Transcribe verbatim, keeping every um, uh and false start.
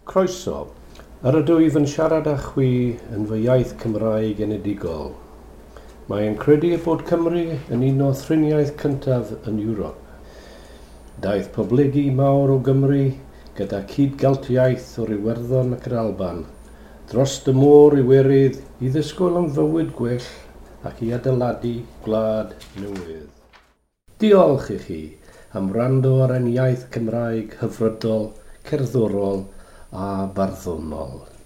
Croeso. Yr ydw i yn siarad â chwi yn fy iaith Cymraeg enedigol. Mae'n credu bod Cymru yn un o thriniaeth cyntaf yn Ewrop. Daeth poblygu mawr o Gymru gyda cyd-Geltiaeth o'r Iwerddon ac yr Alban dros y môr i Iwerydd i ddisgwyl am fywyd gwell ac i adeiladu gwlad newydd. Diolch i chi am wrando ar ein iaith Cymraeg hyfrydol, cerddorol a barddonol.